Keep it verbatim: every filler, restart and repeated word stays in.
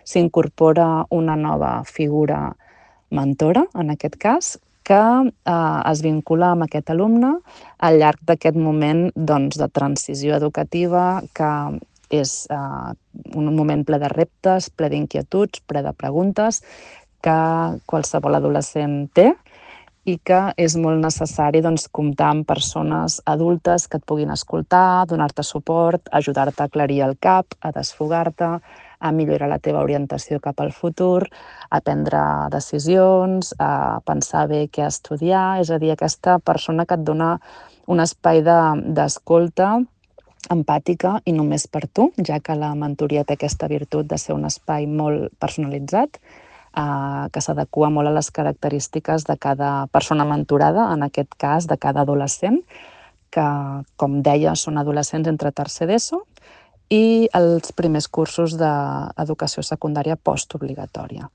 s'incorpora una nova figura mentora, en aquest cas, que eh, es vincula amb aquest alumne al llarg d'aquest moment doncs, de transició educativa que és eh, un moment ple de reptes, ple d'inquietuds, ple de preguntes que qualsevol adolescent té i que és molt necessari doncs, comptar amb persones adultes que et puguin escoltar, donar-te suport, ajudar-te a aclarir el cap, a desfogar-te, a millorar la teva orientació cap al futur, a prendre decisions, a pensar bé què estudiar, és a dir, aquesta persona que et dona un espai d'escolta empàtica i només per tu, ja que la mentoria té aquesta virtut de ser un espai molt personalitzat, eh, que s'adequa molt a les característiques de cada persona mentorada, en aquest cas de cada adolescent, que, com deia, són adolescents entre tercer d'ESO i els primers cursos d'educació secundària postobligatòria.